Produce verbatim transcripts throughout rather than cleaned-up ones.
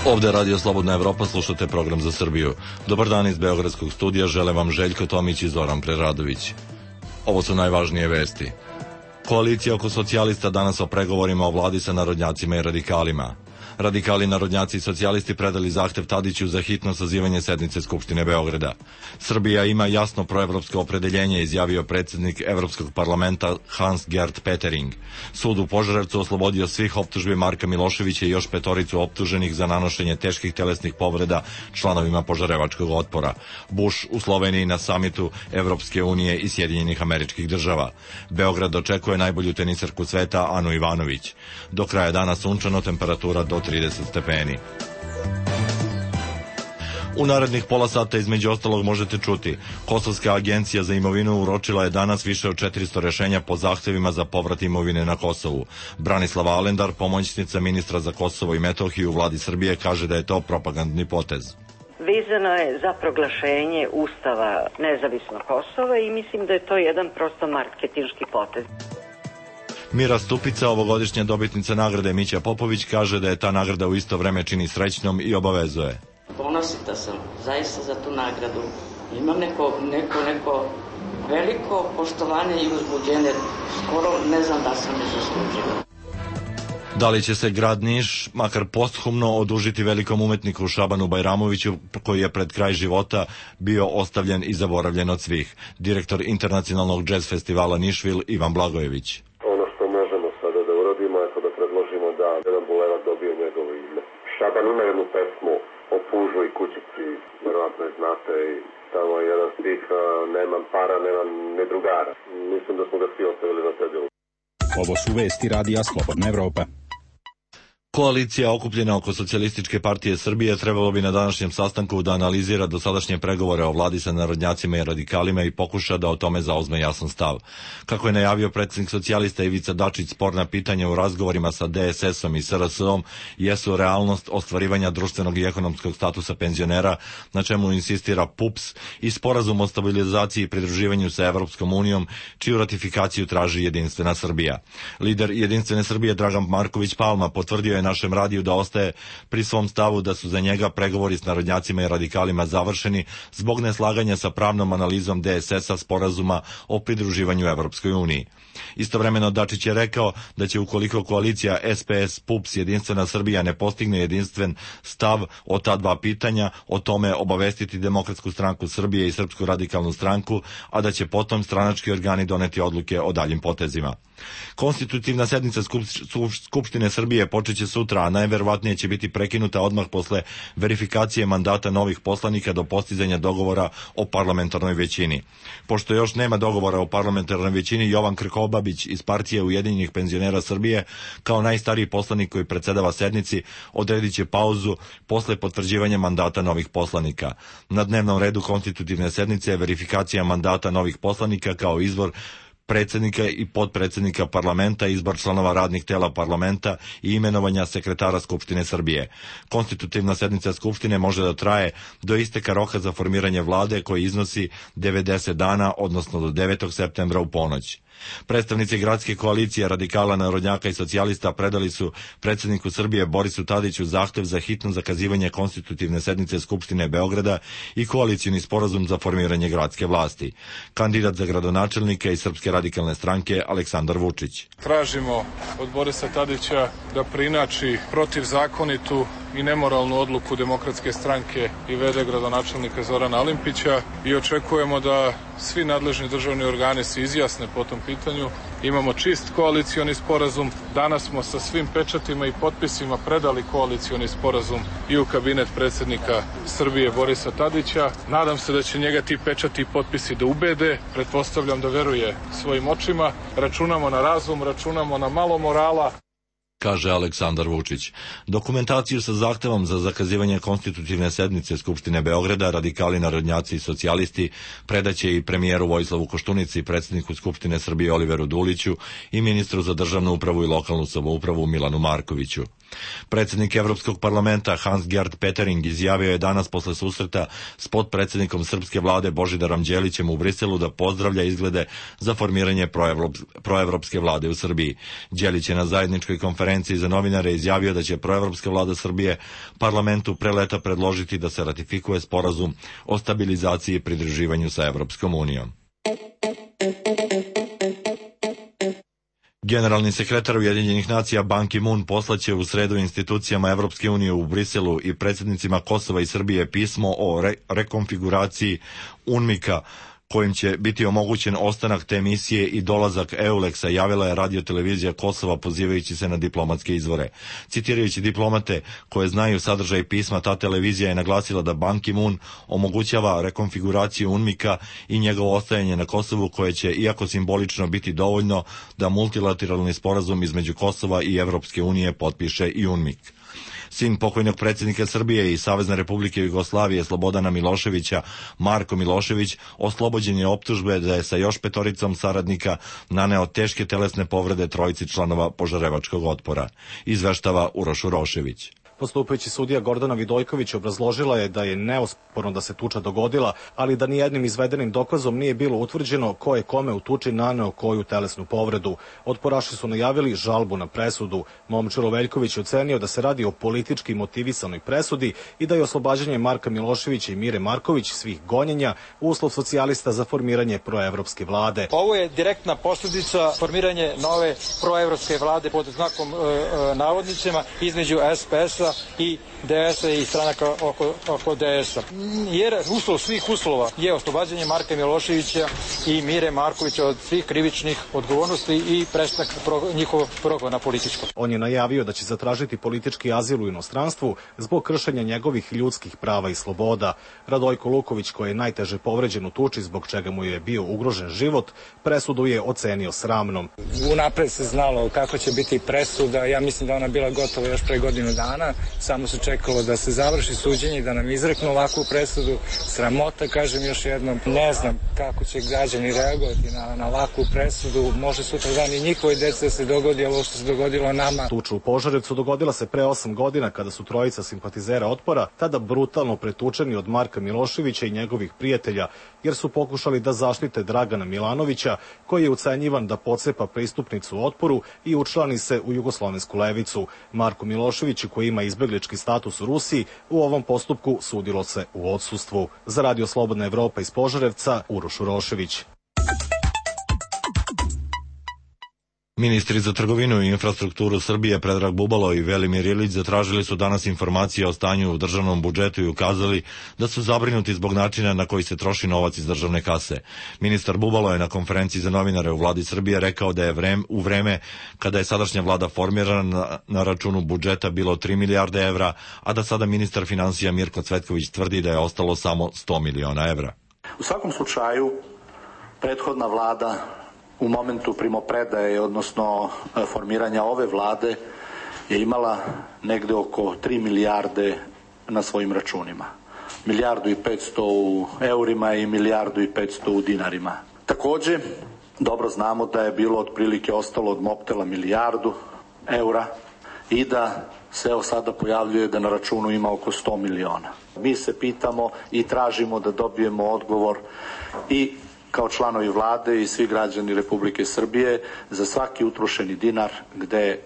Ovde je Radio Slobodna Evropa, slušate program za Srbiju. Dobar dan iz Beogradskog studija, žele vam Željko Tomić i Zoran Preradović. Ovo su najvažnije vesti. Koalicija oko socijalista danas o pregovorima o vladi sa narodnjacima i radikalima. Radikali, narodnjaci i socijalisti predali zahtev Tadiću za hitno sazivanje sednice Skupštine Beograda. Srbija ima jasno proevropsko opredeljenje, izjavio predsjednik Evropskog parlamenta Hans-Gert Pöttering. Sud u Požarevcu oslobodio svih optužbi Marka Miloševića i još petoricu optuženih za nanošenje teških telesnih povreda članovima Požarevačkog otpora. Bush u Sloveniji na samitu Evropske unije i Sjedinjenih Američkih Država. Beograd očekuje najbolju tenisarku sveta Anu Ivanović. Do kraja dana sunčano, temperatura do trideset stepeni. U narednih pola sata između ostalog možete čuti: Kosovska agencija za imovinu uročila je danas više od četiristo rešenja po zahtevima za povrat imovine na Kosovu. Branislava Alendar, pomoćnica ministra za Kosovo i Metohiju u vladi Srbije, kaže da je to propagandni potez. Vezano je za proglašenje Ustava nezavisno Kosova i mislim da je to jedan prosto marketinški potez. Mira Stupica, ovogodišnja dobitnica nagrade Mića Popović, kaže da je ta nagrada u isto vreme čini srećnom i obavezuje. Ponosita sam zaista za tu nagradu. Imam neko, neko, neko veliko poštovanje i uzbuđenje. Skoro ne znam da sam je zaslužila. Da li će se grad Niš, makar posthumno, odužiti velikom umetniku Šabanu Bajramoviću, koji je pred kraj života bio ostavljen i zaboravljen od svih? Direktor internacionalnog džez festivala Nišvil Ivan Blagojević. Da jedan bulevar dobio njegovo ime. Šaban ima jednu pesmu o pužu i kućici, verovatno je znate, i tamo je jedan stih: nemam para, nemam ni drugara. Mislim da smo ga svi ostavili na cedilu. Ovo su vesti Radija Slobodna Evropa. Koalicija okupljena oko Socijalističke partije Srbije trebalo bi na današnjem sastanku da analizira dosadašnje pregovore o vladi sa narodnjacima i radikalima i pokuša da o tome zauzme jasan stav. Kako je najavio predsjednik socijalista Ivica Dačić, sporna pitanja u razgovorima sa D S S-om i S R S-om jesu realnost ostvarivanja društvenog i ekonomskog statusa penzionera, na čemu insistira P U P S, i sporazum o stabilizaciji i pridruživanju sa Evropskom unijom, čiju ratifikaciju traži Jedinstvena Srbija. Lider Jedinstvene Srbije Dragan Marković Palma potvrdio je našem radiju da ostaje pri svom stavu da su za njega pregovori s narodnjacima i radikalima završeni zbog neslaganja sa pravnom analizom D S S-a sporazuma o pridruživanju Evropskoj uniji. Istovremeno Dačić je rekao da će, ukoliko koalicija S P S, P U P S, Jedinstvena Srbija ne postigne jedinstven stav o ta dva pitanja, o tome obavestiti Demokratsku stranku Srbije i Srpsku radikalnu stranku, a da će potom stranački organi doneti odluke o daljim potezima. Konstitutivna sednica Skupštine Srbije počeće sutra, a najverovatnije će biti prekinuta odmah posle verifikacije mandata novih poslanika do postizanja dogovora o parlamentarnoj većini. Pošto još nema dogovora o parlamentarnoj većini, Jovan Krkobabić iz partije Ujedinjenih penzionera Srbije, kao najstariji poslanik koji predsedava sednici, odredit će pauzu posle potvrđivanja mandata novih poslanika. Na dnevnom redu konstitutivne sednice je verifikacija mandata novih poslanika kao izbor predsjednika i potpredsjednika parlamenta, izbor članova radnih tela parlamenta i imenovanja sekretara Skupštine Srbije. Konstitutivna sednica Skupštine može da traje do isteka roka za formiranje vlade, koji iznosi devedeset dana, odnosno do devetog septembra u ponoć. Predstavnici gradske koalicije radikala, narodnjaka i socijalista predali su predsjedniku Srbije Borisu Tadiću zahtev za hitno zakazivanje konstitutivne sednice Skupštine Beograda i koalicioni sporazum za formiranje gradske vlasti. Kandidat za gradonačelnika iz Srpske radikalne stranke Aleksandar Vučić. Tražimo od Borisa Tadića da preinači protivzakonitu i nemoralnu odluku Demokratske stranke i v d gradonačelnika Zorana Alimpića i očekujemo da svi nadležni državni organi se izjasne po tom pitanju. Imamo čist koalicioni sporazum. Danas smo sa svim pečatima i potpisima predali koalicioni sporazum i u kabinet predsjednika Srbije Borisa Tadića. Nadam se da će njega ti pečati i potpisi da ubede. Pretpostavljam da veruje svojim očima. Računamo na razum, računamo na malo morala, kaže Aleksandar Vučić. Dokumentaciju sa zahtevom za zakazivanje konstitutivne sednice Skupštine Beograda radikali, narodnjaci i socijalisti predaće i premijeru Vojislavu Koštunici, predsjedniku Skupštine Srbije Oliveru Duliću i ministru za državnu upravu i lokalnu samoupravu Milanu Markoviću. Predsjednik Evropskog parlamenta Hans-Gert Pöttering izjavio je danas posle susreta s potpredsjednikom srpske vlade Božidarom Đelićem u Briselu da pozdravlja izglede za formiranje proevropske vlade u Srbiji. Đelić je na zajedničkoj konferenciji za novinare izjavio da će proevropska vlada Srbije parlamentu pre leta predložiti da se ratifikuje sporazum o stabilizaciji i pridruživanju sa Evropskom unijom. Generalni sekretar Ujedinjenih nacija Ban Ki-moon poslaće u sredu institucijama Evropske unije u Briselu i predsjednicima Kosova i Srbije pismo o re- rekonfiguraciji UNMIK-a kojim će biti omogućen ostanak te misije i dolazak EULEX-a, javila je radiotelevizija Kosova pozivajući se na diplomatske izvore. Citirajući diplomate koje znaju sadržaj pisma, ta televizija je naglasila da Ban Ki-moon omogućava rekonfiguraciju UNMIK-a i njegovo ostajanje na Kosovu, koje će, iako simbolično, biti dovoljno da multilateralni sporazum između Kosova i Evropske unije potpiše i UNMIK. Sin pokojnog predsjednika Srbije i Savezne Republike Jugoslavije Slobodana Miloševića, Marko Milošević, oslobođen je optužbe da je sa još petoricom saradnika naneo teške telesne povrede trojici članova Požarevačkog otpora, izveštava Uroš Urošević. Postupajući sudija Gordana Vidojković obrazložila je da je neosporno da se tuča dogodila, ali da nijednim izvedenim dokazom nije bilo utvrđeno ko je kome u tuči naneo koju telesnu povredu. Otporaši su najavili žalbu na presudu. Momčilo Veljković je ocenio da se radi o politički motivisanoj presudi i da je oslobađanje Marka Miloševića i Mire Marković svih gonjenja uslov socijalista za formiranje proevropske vlade. Ovo je direktna posljedica formiranje nove proevropske vlade pod znakom e, e, navodnicima između S P S-a i D S-a i stranaka oko, oko D S-a. Jer uslov svih uslova je oslobađanje Marka Miloševića i Mire Markovića od svih krivičnih odgovornosti i prestanak pro, njihovog progona političkog. On je najavio da će zatražiti politički azil u inostranstvu zbog kršenja njegovih ljudskih prava i sloboda. Radojko Luković, koji je najteže povređen u tuči zbog čega mu je bio ugrožen život, presudu je ocenio sramnom. Unapred se znalo kako će biti presuda. Ja mislim da ona bila gotova još pre godinu dana. Samo se čekalo da se završi suđenje i da nam izreknu ovakvu presudu. Sramota, kažem još jednom. Ne znam kako će građani reagovati na, na ovakvu presudu. Može sutra dan i njihovoj deci da se dogodi ovo što se dogodilo nama. Tuča u Požarevcu dogodila se pre osam godina kada su trojica simpatizera Otpora tada brutalno pretučeni od Marka Miloševića i njegovih prijatelja, jer su pokušali da zaštite Dragana Milanovića, koji je ucenjivan da pocepa pristupnicu Otporu i učlani se u jugoslovensku levicu. Marko Milošević, koji ima izbeglički status u Rusiji, u ovom postupku sudilo se u odsustvu. Za Radio Slobodna Evropa iz Požarevca, Uroš Urošević. Ministri za trgovinu i infrastrukturu Srbije Predrag Bubalo i Velimir Ilić zatražili su danas informacije o stanju u državnom budžetu i ukazali da su zabrinuti zbog načina na koji se troši novac iz državne kase. Ministar Bubalo je na konferenciji za novinare u vladi Srbije rekao da je vreme, u vreme kada je sadašnja vlada formirana na, na računu budžeta bilo tri milijarde evra, a da sada ministar finansija Mirko Cvetković tvrdi da je ostalo samo sto miliona evra. U svakom slučaju, prethodna vlada u momentu primopredaje, odnosno formiranja ove vlade, je imala negde oko tri milijarde na svojim računima. Milijardu i petsto u eurima i milijardu i petsto u dinarima. Takođe, dobro znamo da je bilo otprilike ostalo od Mobtela milijardu eura i da se evo sada pojavljuje da na računu ima oko sto miliona. Mi se pitamo i tražimo da dobijemo odgovor i kao članovi vlade i svi građani Republike Srbije za svaki utrošeni dinar gde je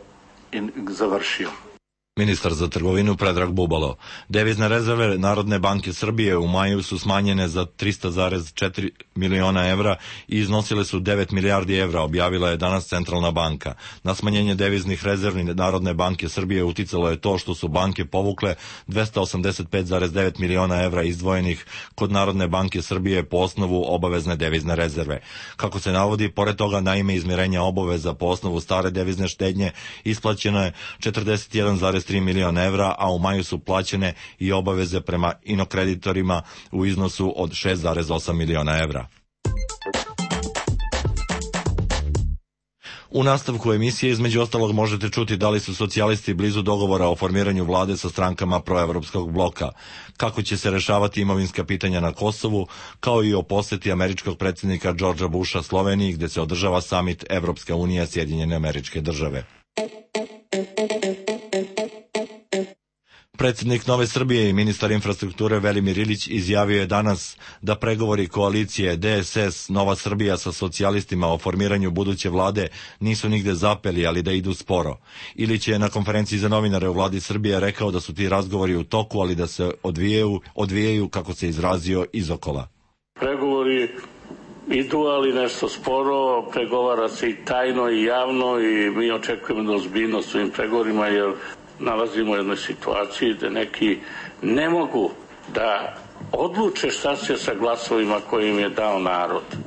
završio. Ministar za trgovinu Predrag Bubalo. Devizne rezerve Narodne banke Srbije u maju su smanjene za trista zarez četiri miliona evra i iznosile su devet milijardi evra, objavila je danas Centralna banka. Na smanjenje deviznih rezervi Narodne banke Srbije uticalo je to što su banke povukle dvesta osamdeset pet zarez devet miliona evra izdvojenih kod Narodne banke Srbije po osnovu obavezne devizne rezerve. Kako se navodi, pored toga na ime izmirenja obaveza po osnovu stare devizne štednje isplaćeno je četrdeset jedan zarez tri miliona evra, a u maju su plaćene i obaveze prema inokreditorima u iznosu od šest zarez osam miliona evra. U nastavku emisije između ostalog možete čuti da li su socijalisti blizu dogovora o formiranju vlade sa strankama proevropskog bloka, kako će se rešavati imovinska pitanja na Kosovu, kao i o poseti američkog predsjednika Georgea Busha Sloveniji, gde se održava samit Evropska unija Sjedinjene Američke Države. Predsjednik Nove Srbije i ministar infrastrukture Velimir Ilić izjavio je danas da pregovori koalicije D S S Nova Srbija sa socijalistima o formiranju buduće vlade nisu nigde zapeli, ali da idu sporo. Ilić je na konferenciji za novinare u vladi Srbije rekao da su ti razgovori u toku, ali da se odvijaju, odvijaju kako se izrazio, izokola. Pregovori idu, ali nešto sporo, pregovara se i tajno i javno i mi očekujemo ozbiljnost u ovim pregovorima, jer nalazimo u jednoj situaciji da neki ne mogu da odluče šta će sa glasovima koje im je dao narod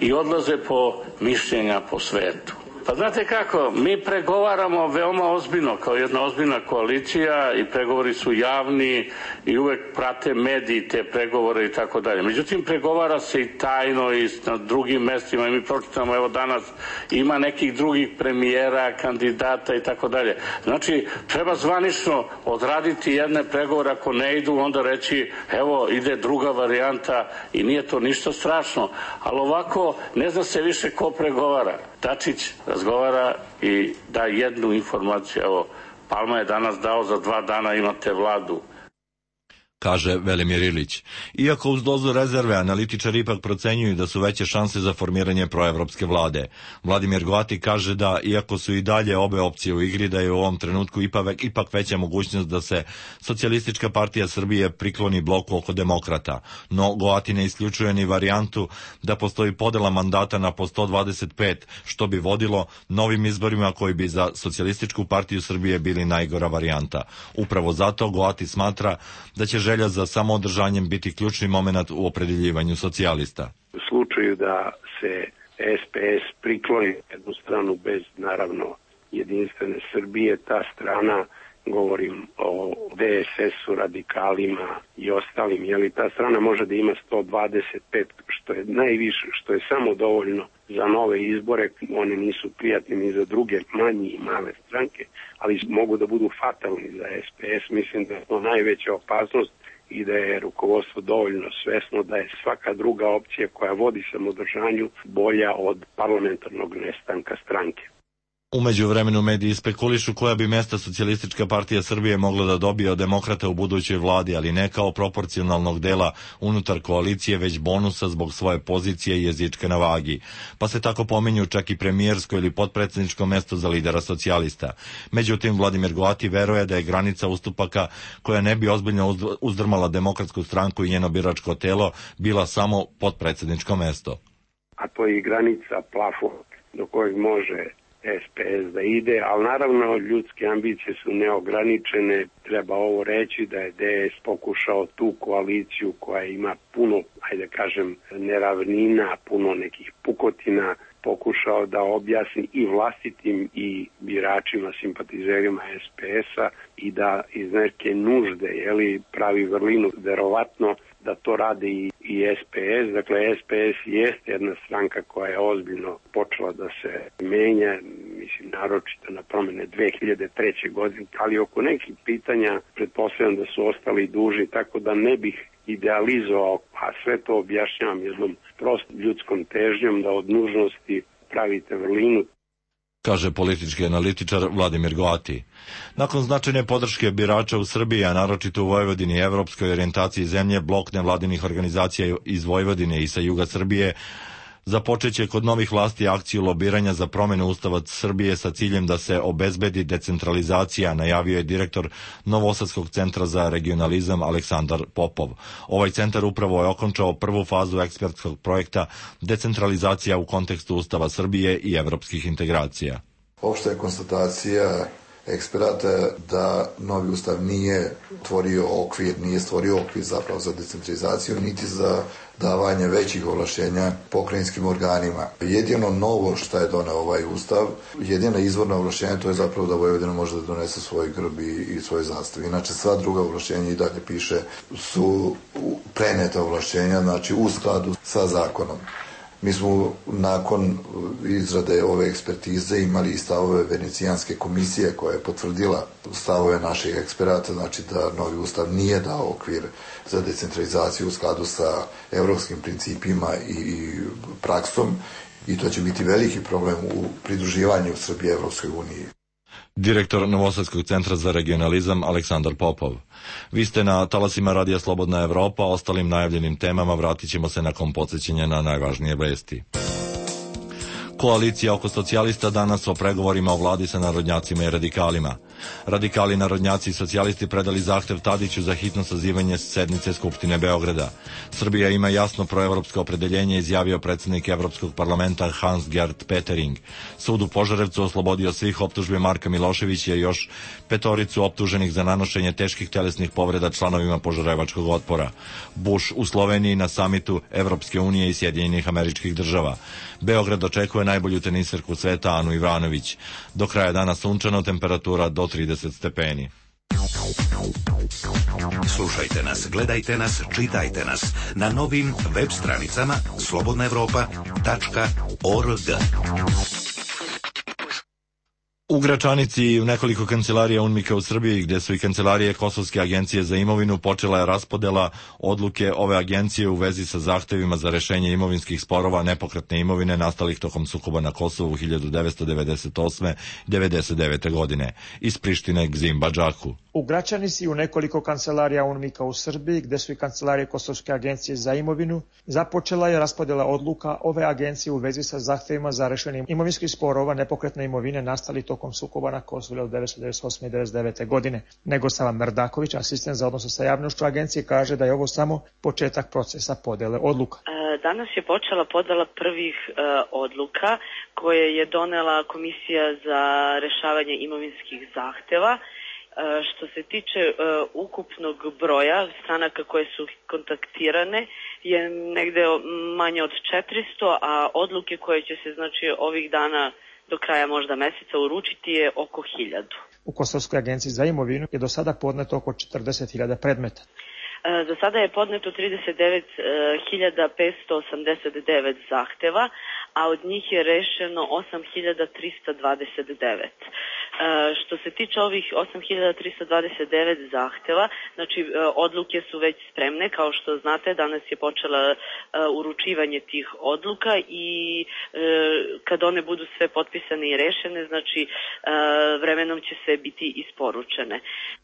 i odlaze po mišljenja po svetu. Pa znate kako, mi pregovaramo veoma ozbiljno, kao jedna ozbiljna koalicija i pregovori su javni i uvek prate mediji te pregovore i tako dalje. Međutim, pregovara se i tajno i na drugim mestima i mi pročitamo, evo danas ima nekih drugih premijera, kandidata i tako dalje. Znači, treba zvanično odraditi jedne pregovore, ako ne idu, onda reći, evo, ide druga varijanta i nije to ništa strašno. Ali ovako, ne zna se više ko pregovara. Dačić razgovara i da jednu informaciju. Evo, Palma je danas dao za dva dana imate vladu. Kaže Velimir Ilić. Iako uz dozu rezerve, analitičari ipak procenjuju da su veće šanse za formiranje proevropske vlade. Vladimir Goati kaže da, iako su i dalje obe opcije u igri, da je u ovom trenutku ipak, ipak veća mogućnost da se Socijalistička partija Srbije prikloni bloku oko demokrata. No, Goati ne isključuje ni varijantu da postoji podela mandata na po sto dvadeset pet, što bi vodilo novim izborima koji bi za Socijalističku partiju Srbije bili najgora varijanta. Upravo zato Goati smatra da će želja za samoodržanjem biti ključni moment u opredeljivanju socijalista. U slučaju da se S P S prikloni jednu stranu bez, naravno, jedinstvene Srbije, ta strana, govorim o D S S-u, radikalima i ostalim, jeli ta strana može da ima sto dvadeset pet, što je najviše, što je samo dovoljno za nove izbore. One nisu prijatni ni za druge manje i male stranke, ali mogu da budu fatalni za S P S. Mislim da je to najveća opasnost i da je rukovodstvo dovoljno svesno da je svaka druga opcija koja vodi samodržanju bolja od parlamentarnog nestanka stranke. U međuvremenu mediji spekulišu koja bi mesta Socijalistička partija Srbije mogla da dobije od demokrata u budućoj vladi, ali ne kao proporcionalnog dela unutar koalicije, već bonusa zbog svoje pozicije i jezičke na vagi. Pa se tako pominju čak i premijersko ili potpredsjedničko mesto za lidera socijalista. Međutim, Vladimir Goati veruje da je granica ustupaka koja ne bi ozbiljno uzdrmala Demokratsku stranku i njeno biračko telo bila samo potpredsjedničko mesto. A to je i granica, plafon do kojeg može S P S da ide, ali naravno ljudske ambicije su neograničene. Treba ovo reći da je D S pokušao tu koaliciju koja ima puno, ajde kažem, neravnina, puno nekih pukotina, pokušao da objasni i vlastitim i biračima, simpatizerima S P S-a i da iz neke nužde, jeli, pravi vrlinu, verovatno da to rade i, i S P S. Dakle, S P S jeste jedna stranka koja je ozbiljno počela da se menja, mislim, naročito na promene dve hiljade treće. godine, ali oko nekih pitanja pretpostavljam da su ostali duži, tako da ne bih idealizovao, a sve to objašnjavam jednom prostom ljudskom težnjom da od nužnosti pravite vrlinu. Kaže politički analitičar Vladimir Goati. Nakon značajne podrške birača u Srbiji, a naročito u Vojvodini i evropskoj orijentaciji zemlje, blok nevladinih organizacija iz Vojvodine i sa juga Srbije započeće kod novih vlasti akciju lobiranja za promenu Ustava Srbije sa ciljem da se obezbedi decentralizacija, najavio je direktor Novosadskog centra za regionalizam Aleksandar Popov. Ovaj centar upravo je okončao prvu fazu ekspertskog projekta decentralizacija u kontekstu Ustava Srbije i evropskih integracija. Opšta je konstatacija eksperata da novi ustav nije tvorio okvir, nije stvorio okvir zapravo za decentralizaciju, niti za davanje većih ovlašćenja pokrajinskim organima. Jedino novo što je doneo ovaj ustav, jedina izvorna ovlašćenja, to je zapravo da Vojvodina može da donese svoj grb i, i svoje zastave. Inače, sva druga ovlašćenja i dalje piše su preneta ovlašćenja, znači u skladu sa zakonom. Mi smo nakon izrade ove ekspertize imali i stavove Venecijanske komisije koja je potvrdila stavove naših eksperata, znači da novi ustav nije dao okvir za decentralizaciju u skladu sa evropskim principima i praksom i to će biti veliki problem u pridruživanju Srbije Evropskoj uniji. Direktor Novosadskog centra za regionalizam Aleksandar Popov. Vi ste na talasima Radija Slobodna Evropa, ostalim najavljenim temama vratit ćemo se nakon podsjećanja na najvažnije vesti. Koalicija oko socijalista danas o pregovorima o vladi sa narodnjacima i radikalima. Radikali, narodnjaci i socijalisti predali zahtev Tadiću za hitno sazivanje sednice Skupštine Beograda. Srbija ima jasno proevropsko opredeljenje, izjavio predsjednik Evropskog parlamenta Hans-Gert Pöttering. Sud u Požarevcu oslobodio svih optužbi Marka Miloševića i još petoricu optuženih za nanošenje teških telesnih povreda članovima Požarevačkog otpora. Bush u Sloveniji na samitu Evropske unije i Sjedinjenih Američkih Država. Beograd očekuje najbolju teniserku sveta Anu Ivanović. Do kraja dana sunčano, temperatura do trideset stepeni. Slušajte nas, gledajte nas, čitajte nas na novim web stranicama slobodna evropa tačka org. U Gračanici i u nekoliko kancelarija UNMIK-a u Srbiji, gde su i kancelarije Kosovske agencije za imovinu, počela je raspodela odluke ove agencije u vezi sa zahtevima za rešenje imovinskih sporova nepokretne imovine nastalih tokom sukoba na Kosovu u hiljadu devetsto devedeset osme do devedeset devete. godine iz Prištine k Zimbadžaku. U Gračanici i u nekoliko kancelarija UNMIK-a u Srbiji, gde su i kancelarije Kosovske agencije za imovinu, započela je raspodela odluka ove agencije u vezi sa zahtevima za rešenje imovinskih sporova nepokretne imovine nastalih tokom sukoba na Kosovu hiljadu devetsto devedeset osme i devedeset devete. godine. Negosava Merdaković, asistent za odnose sa javnošću agencije, kaže da je ovo samo početak procesa podele odluka. Danas je počela podela prvih uh, odluka koje je donela Komisija za rešavanje imovinskih zahteva. Što se tiče uh, ukupnog broja stranaka koje su kontaktirane je negde manje od četiristo, a odluke koje će se znači ovih dana do kraja možda meseca uručiti je oko hiljadu. U Kosovskoj agenciji za imovinu je do sada podneto oko četrdeset hiljada predmeta. Do sada je podneto trideset devet hiljada petsto osamdeset devet zahteva, a od njih je rešeno osam hiljada trista dvadeset devet. Što se tiče ovih osam hiljada trista dvadeset devet zahteva, znači odluke su već spremne, kao što znate danas je počela uručivanje tih odluka i kad one budu sve potpisane i rešene, znači vremenom će sve biti isporučene.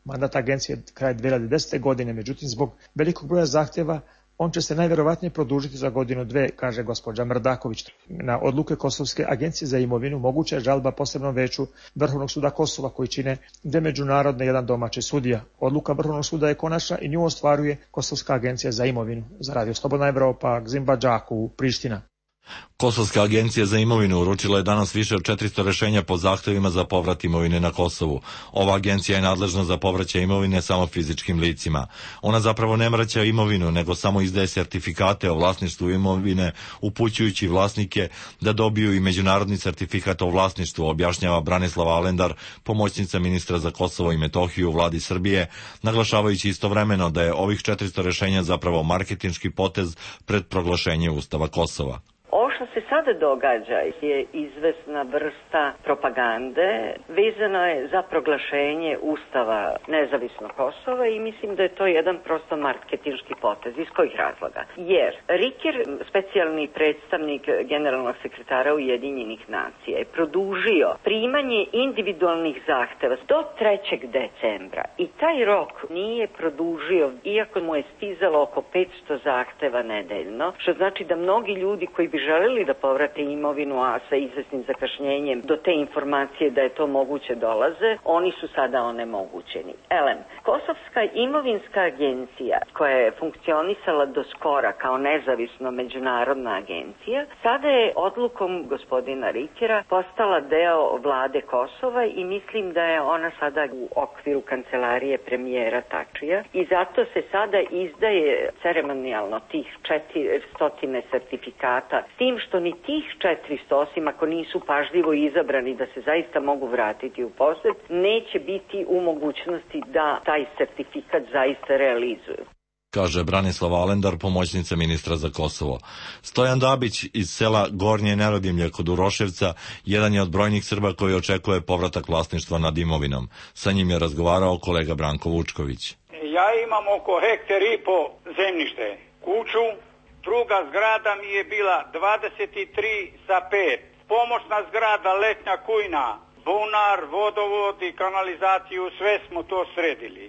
Mandat agencije je kraj dve hiljade desete. godine, međutim zbog velikog broja zahteva on će se najverovatnije produžiti za godinu dve, kaže gospođa Mrdaković. Na odluke Kosovske agencije za imovinu moguća je žalba posebnom veću Vrhovnog suda Kosova koji čine dve međunarodne i jedan domaći sudija. Odluka Vrhovnog suda je konačna i nju ostvaruje Kosovska agencija za imovinu. Za Radio Slobodna Evropa, Zimbadžaku, Priština. Kosovska agencija za imovinu uručila je danas više od četiristo rešenja po zahtevima za povrat imovine na Kosovu. Ova agencija je nadležna za povraćaj imovine samo fizičkim licima. Ona zapravo ne vraća imovinu, nego samo izdaje sertifikate o vlasništvu imovine, upućujući vlasnike da dobiju i međunarodni sertifikat o vlasništvu, objašnjava Branislava Alendar, pomoćnica ministra za Kosovo i Metohiju u vladi Srbije, naglašavajući istovremeno da je ovih četiristo rešenja zapravo marketinški potez pred proglašenje Ustava Kosova. Ovo što se sada događa je izvesna vrsta propagande, vezano je za proglašenje Ustava nezavisnog Kosova i mislim da je to jedan prosto marketinški potez. Iz kojih razloga? Jer Riker, specijalni predstavnik generalnog sekretara Ujedinjenih nacija, je produžio primanje individualnih zahteva do trećeg decembra i taj rok nije produžio, iako mu je stizalo oko petsto zahteva nedeljno, što znači da mnogi ljudi koji bi želeli da povrate imovinu, a sa izvesnim zakašnjenjem do te informacije da je to moguće dolaze, oni su sada onemogućeni. Elem, Kosovska imovinska agencija, koja je funkcionisala do skora kao nezavisno međunarodna agencija, sada je odlukom gospodina Rikera postala deo vlade Kosova i mislim da je ona sada u okviru kancelarije premijera Tačija i zato se sada izdaje ceremonijalno tih četiristo sertifikata, s tim što ni tih četiristo, osim ako nisu pažljivo izabrani da se zaista mogu vratiti u posed, neće biti u mogućnosti da taj sertifikat zaista realizuju, kaže Branislava Alendar, pomoćnica ministra za Kosovo. Stojan Dabić iz sela Gornje Nerodimlje kod Uroševca jedan je od brojnih Srba koji očekuje povratak vlasništva nad imovinom. Sa njim je razgovarao kolega Branko Vučković. Ja imam oko hektar i po zemljište, kuću, druga zgrada mi je bila dvadeset tri sa pet, pomoćna zgrada letnja kujna bunar, vodovod i kanalizaciju, sve smo to sredili.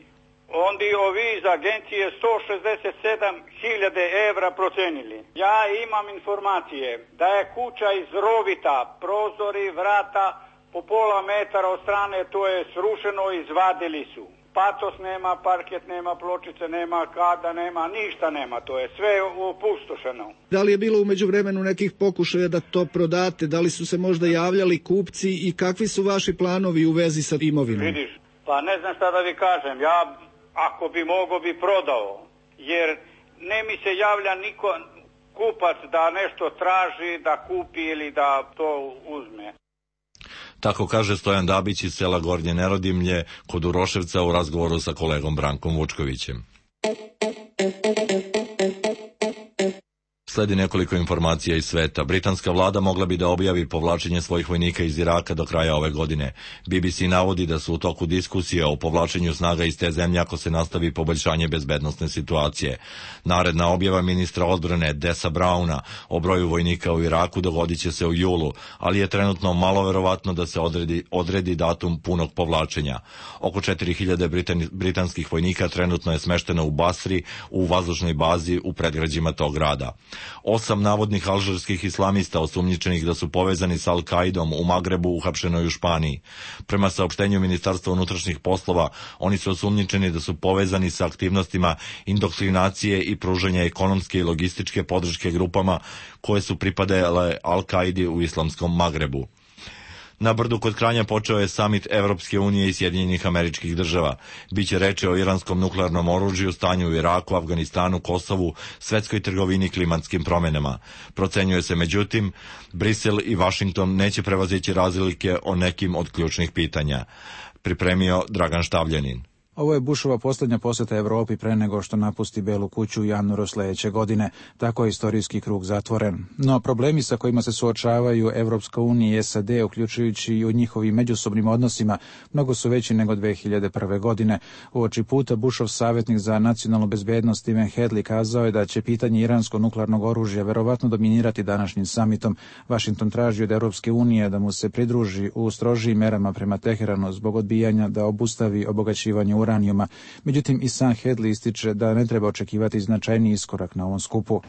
Ondi ovi iz agencije sto šezdeset sedam hiljade evra procenili. Ja imam informacije da je kuća iz rovita, prozori, vrata po pola metara od strane, to je srušeno, izvadili su. Patos nema, parket nema, pločice nema, kada nema, ništa nema, to je sve opustošeno. Da li je bilo u međuvremenu nekih pokušaja da to prodate, da li su se možda javljali kupci i kakvi su vaši planovi u vezi sa imovinom? Vidiš, pa ne znam šta da vi kažem, ja ako bi mogo bi prodao, jer ne mi se javlja niko kupac da nešto traži, da kupi ili da to uzme. Tako kaže Stojan Dabić iz sela Gornje Nerodimlje kod Uroševca u razgovoru sa kolegom Brankom Vučkovićem. Sledi nekoliko informacija iz sveta. Britanska vlada mogla bi da objavi povlačenje svojih vojnika iz Iraka do kraja ove godine. B B C navodi da su u toku diskusije o povlačenju snaga iz te zemlje ako se nastavi poboljšanje bezbednosne situacije. Naredna objava ministra odbrane Desa Browna o broju vojnika u Iraku dogodit će se u julu, ali je trenutno malo verovatno da se odredi, odredi datum punog povlačenja. Oko četiri hiljade britan, britanskih vojnika trenutno je smešteno u Basri, u vazdušnoj bazi u predgrađima tog grada. Osam navodnih alžirskih islamista osumnjičenih da su povezani sa Al-Kaidom u Magrebu uhapšeno je u Španiji. Prema saopštenju Ministarstva unutrašnjih poslova, oni su osumnjičeni da su povezani sa aktivnostima indoktrinacije i pružanja ekonomske i logističke podrške grupama koje su pripadale Al-Kaidi u islamskom Magrebu. Na Brdu kod Kranja počeo je samit Evropske unije i Sjedinjenih Američkih Država. Biće reči o iranskom nuklearnom oružju, stanju u Iraku, Afganistanu, Kosovu, svetskoj trgovini, klimatskim promenama. Procenjuje se međutim, Brisel i Vašington neće prevazići razlike o nekim od ključnih pitanja. Pripremio Dragan Štavljanin. Ovo je Bushova posljednja posjeta Evropi pre nego što napusti Belu kuću u januaru sljedeće godine. Tako je istorijski krug zatvoren. No problemi sa kojima se suočavaju Evropska unija i S A D, uključujući i u njihovim međusobnim odnosima, mnogo su veći nego dve hiljade prve. godine. Uoči puta Bushov savjetnik za nacionalnu bezbednost Stephen Hadley kazao je da će pitanje iranskog nuklearnog oružja verovatno dominirati današnjim samitom. Washington traži od Evropske unije da mu se pridruži u strožijim merama prema Teheranu zbog odbijanja da obustavi obogaćivanje uranijuma. Međutim, i sam Hadley ističe da ne treba očekivati značajni iskorak na ovom skupu.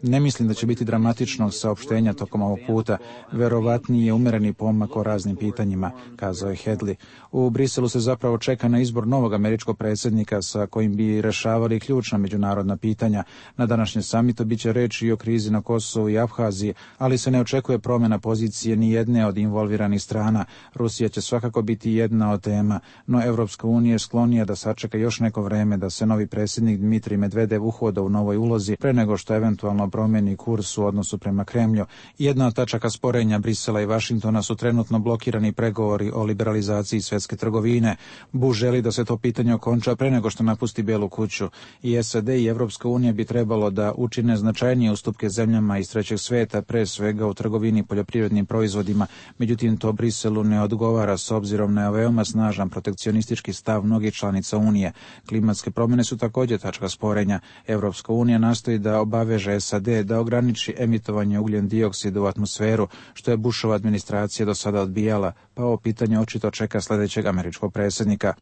Ne mislim da će biti dramatičnog saopštenja tokom ovog puta. Verovatniji je umereni pomak o raznim pitanjima, kazao je Hadley. U Briselu se zapravo čeka na izbor novog američkog predsjednika sa kojim bi rešavali ključna međunarodna pitanja. Na današnjem samitu biće reči i o krizi na Kosovu i Abhaziji, ali se ne očekuje promjena pozicije ni jedne od involviranih strana. Rusija će svakako biti jedna od tema, no Evropska unija je sklonija da sačeka još neko vreme da se novi predsjednik Dmitrij Medvedev uhoda u novoj ulozi pre nego što eventualno promijeni kurs u odnosu prema Kremlju. Jedna od tačaka sporenja Brisela i Vašingtona su trenutno blokirani pregovori o liberalizaciji svjetske trgovine. Bush želi da se to pitanje okonča pre nego što napusti Belu kuću. I S A D i Evropska unija bi trebalo da učine značajnije ustupke zemljama iz trećeg sveta, pre svega u trgovini poljoprivrednim proizvodima. Međutim, to Briselu ne odgovara s obzirom na veoma snažan protekcionistički stav mnogih članica Unije. Klimatske promjene su također tačka sporenja. Evropska unija nastoji da obaveže S A D da ograniči emitovanje ugljen dioksida u atmosferu, što je Bushova administracija do sada odbijala, pa ovo pitanje očito čeka sljedećeg američkog predsjednika.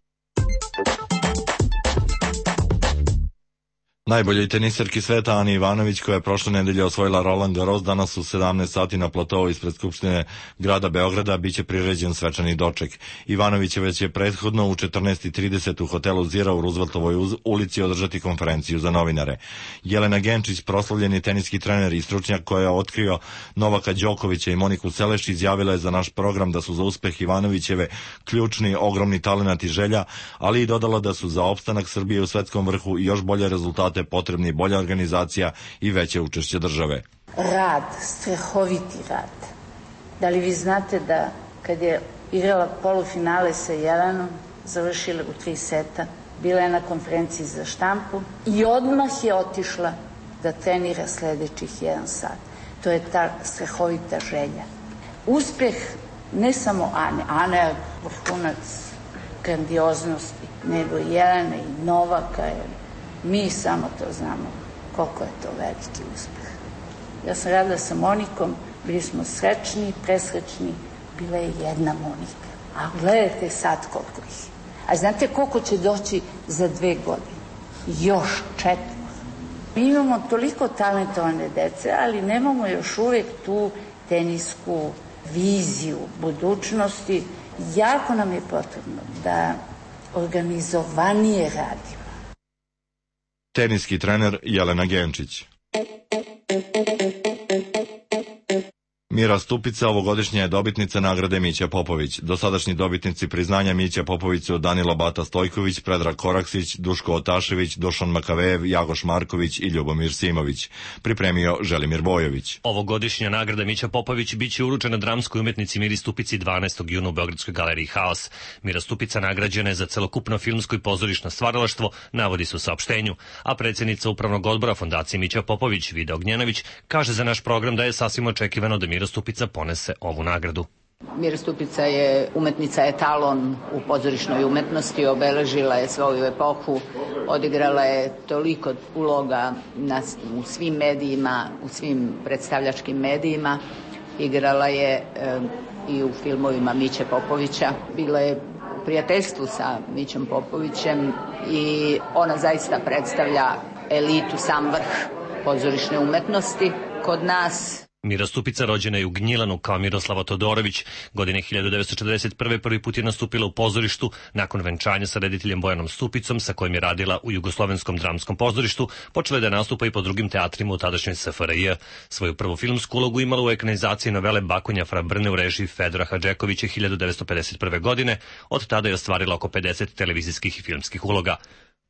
Najboljoj teniserki sveta Ani Ivanović, koja je prošle nedelje osvojila Roland Garros, danas u sedamnaest sati na platovu ispred Skupštine grada Beograda biće priređen svečani doček. Ivanović već je prethodno u četrnaest i trideset u hotelu Zira u Rooseveltovoj ulici održati konferenciju za novinare. Jelena Genčić, proslavljeni teniski trener i stručnjak koja je otkrio Novaka Đokovića i Moniku Seleš, izjavila je za naš program da su za uspeh Ivanovićeve ključni ogromni talenat i želja, ali i dodala da su za opstanak Srbije u svetskom vrhu i još bolje rezultate potrebni bolja organizacija i veće učešće države. Rad, strehoviti rad. Da li vi znate da kad je igrala polufinale sa Jelenom, završila u tri seta, bila je na konferenciji za štampu i odmah je otišla da trenira sljedećih jedan sat. To je ta strehovita želja. Uspjeh ne samo Ane, Ana je vrhunac grandioznosti, nego i Jelena i Novaka. Mi samo to znamo koliko je to veliki uspjeh. Ja sam radila sa Monikom Bili smo srećni, presrećni, bila je jedna Monika. A gledajte sad koliko ih. A znate koliko će doći za dve godine? Još četiri. Mi imamo toliko talentovane dece, ali nemamo još uvijek tu tenisku viziju budućnosti. Jako nam je potrebno da organizovanije radimo. Teniski trener Jelena Genčić. Mira Stupica ovogodišnja je dobitnica nagrade Mića Popović. Dosadašnji dobitnici priznanja Mića Popović su Danilo Bata Stojković, Predrag Koraksić, Duško Otašević, Dušan Makavejev, Jagoš Marković i Ljubomir Simović. Pripremio Želimir Bojović. Ovogodišnja nagrada Mića Popović biće uručena dramskoj umetnici Miri Stupici dvanaestog juna u Beogradskoj galeriji Haos. Mira Stupica nagrađena je za celokupno filmsko i pozorišno stvaralaštvo, navodi se u saopštenju, a predsjednica upravnog odbora Fondacije Mića Popović, Vida Ognjanović, kaže za naš program da je sasvim očekivano da Mira Stupica ponese ovu nagradu. Mira Stupica je umetnica etalon u pozorišnoj umetnosti, obeležila je svoju epohu, odigrala je toliko uloga na, u svim medijima, u svim predstavljačkim medijima, igrala je e, i u filmovima Miće Popovića, bila je u prijateljstvu sa Mićom Popovićem i ona zaista predstavlja elitu, sam vrh pozorišne umetnosti kod nas. Mira Stupica rođena je u Gnjilanu kao Miroslava Todorović. Godine hiljadu devetsto četrdeset prve. prvi put je nastupila u pozorištu nakon venčanja sa rediteljem Bojanom Stupicom, sa kojim je radila u Jugoslovenskom dramskom pozorištu. Počela je da nastupa i po drugim teatrima u tadašnjoj S F R J. Svoju prvu filmsku ulogu imala u ekranizaciji novele Bakonja fra Brne u režiji Fedora Hadžekovića hiljadu devetsto pedeset prve. godine. Od tada je ostvarila oko pedeset televizijskih i filmskih uloga.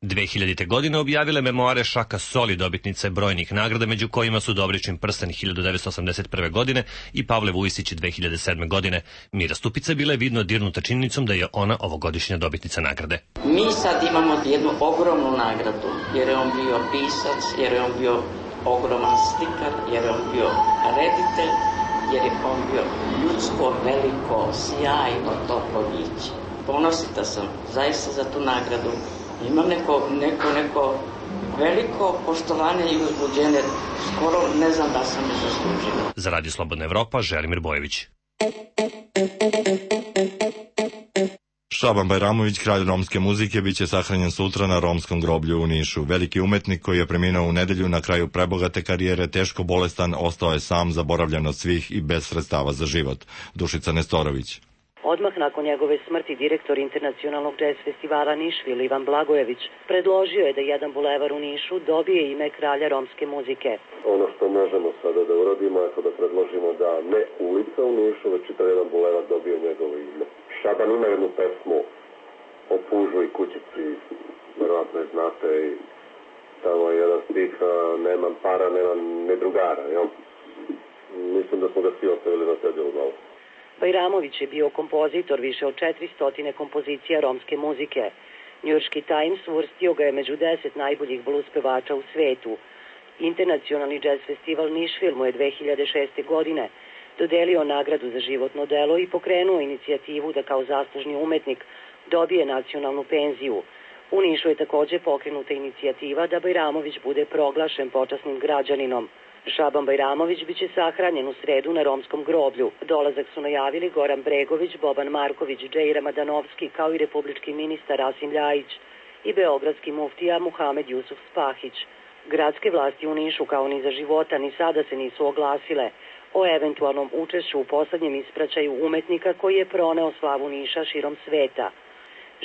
dve hiljadite. godine objavile memoare Šaka Soli, dobitnice brojnih nagrada, među kojima su Dobričin prsten hiljadu devetsto osamdeset prve. godine i Pavle Vujisić dve hiljade sedme. godine. Mira Stupica bila je vidno dirnuta činjenicom da je ona ovogodišnja dobitnica nagrade. Mi sad imamo jednu ogromnu nagradu, jer je on bio pisac, jer je on bio ogroman slikar, jer je on bio reditelj, jer je on bio ljudsko, veliko, sjajno, toplo biće. Ponosita sam zaista za tu nagradu. Imam neko, neko, neko veliko poštovanje i uzbuđenje. Skoro ne znam da sam je zaslužila. Za Radio Slobodna Evropa, Želimir Bojević. Šaban Bajramović, kralj romske muzike, biće sahranjen sutra na romskom groblju u Nišu. Veliki umetnik koji je preminuo u nedelju na kraju prebogate karijere, teško bolestan, ostao je sam, zaboravljen od svih i bez sredstava za život. Dušica Nestorović. Odmah nakon njegove smrti direktor Internacionalnog džez festivala Nišvil Ivan Blagojević predložio je da jedan bulevar u Nišu dobije ime kralja romske muzike. Ono što možemo sada da uradimo je to da predložimo da ne ulica u Nišu, već čitav jedan bulevar dobije njegovo ime. Šaban ima jednu pesmu o pužu i kućici, verovatno je znate, i tamo je jedan stih, nemam para, nemam ne drugara, jel? Mislim da smo ga svi ostavili na cedilu malo. Bajramović je bio kompozitor više od četiristo kompozicija romske muzike. Njujorški Times uvrstio ga je među deset najboljih blues pevača u svetu. Internacionalni džez festival Nišvil mu je dve hiljade šeste. godine dodelio nagradu za životno delo i pokrenuo inicijativu da kao zaslužni umetnik dobije nacionalnu penziju. U Nišu je također pokrenuta inicijativa da Bajramović bude proglašen počasnim građaninom. Šaban Bajramović biće sahranjen u sredu na romskom groblju. Dolazak su najavili Goran Bregović, Boban Marković, Džejra Madanovski, kao i republički ministar Rasim Ljajić i beogradski muftija Muhamed Jusuf Spahić. Gradske vlasti u Nišu kao ni za života ni sada se nisu oglasile o eventualnom učešću u poslednjem ispraćaju umetnika koji je proneo slavu Niša širom sveta.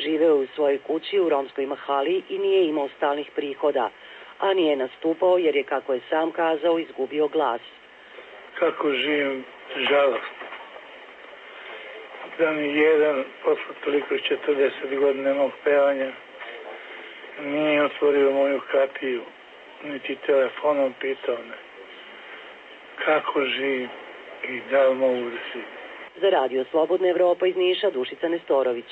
Živeo je u svojoj kući u romskoj mahali i nije imao stalnih prihoda, a nije nastupao jer je, kako je sam kazao, izgubio glas. Kako živim žalostno. Da mi jedan, posle toliko četrdeset godina mog pevanja, nije otvorio moju kapiju, niti telefonom pitao me kako živim i da li mogu da živim. Za Radio Slobodna Evropa iz Niša, Dušica Nestorović.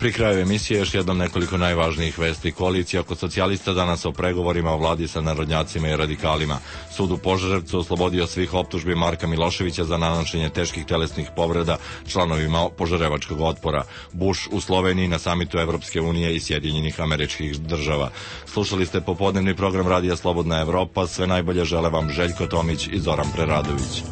Pri kraju emisije još jednom nekoliko najvažnijih vesti. Koalicija oko socijalista danas o pregovorima o vladi sa narodnjacima i radikalima. Sud u Požarevcu oslobodio svih optužbi Marka Miloševića za nanošenje teških telesnih povreda članovima požarevačkog otpora. Bush u Sloveniji na samitu Evropske unije i Sjedinjenih Američkih Država. Slušali ste popodnevni program Radija Slobodna Evropa. Sve najbolje žele vam Željko Tomić i Zoran Preradović.